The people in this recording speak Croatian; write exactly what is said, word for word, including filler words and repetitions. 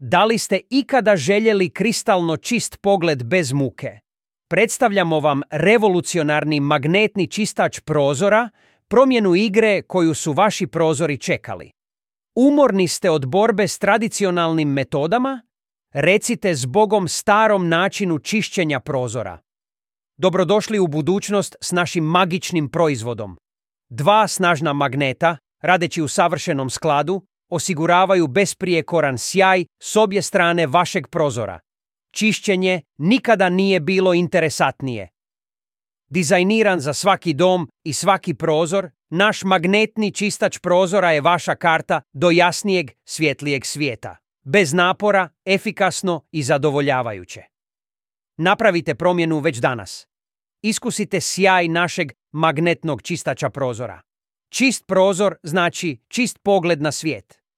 Da li ste ikada željeli kristalno čist pogled bez muke? Predstavljamo vam revolucionarni magnetni čistač prozora, promjenu igre koju su vaši prozori čekali. Umorni ste od borbe s tradicionalnim metodama? Recite zbogom starom načinu čišćenja prozora. Dobrodošli u budućnost s našim magičnim proizvodom. Dva snažna magneta, radeći u savršenom skladu, osiguravaju besprijekoran sjaj s obje strane vašeg prozora. Čišćenje nikada nije bilo interesantnije. Dizajniran za svaki dom i svaki prozor, naš magnetni čistač prozora je vaša karta do jasnijeg, svjetlijeg svijeta. Bez napora, efikasno i zadovoljavajuće. Napravite promjenu već danas. Iskusite sjaj našeg magnetnog čistača prozora. Čist prozor znači čist pogled na svijet.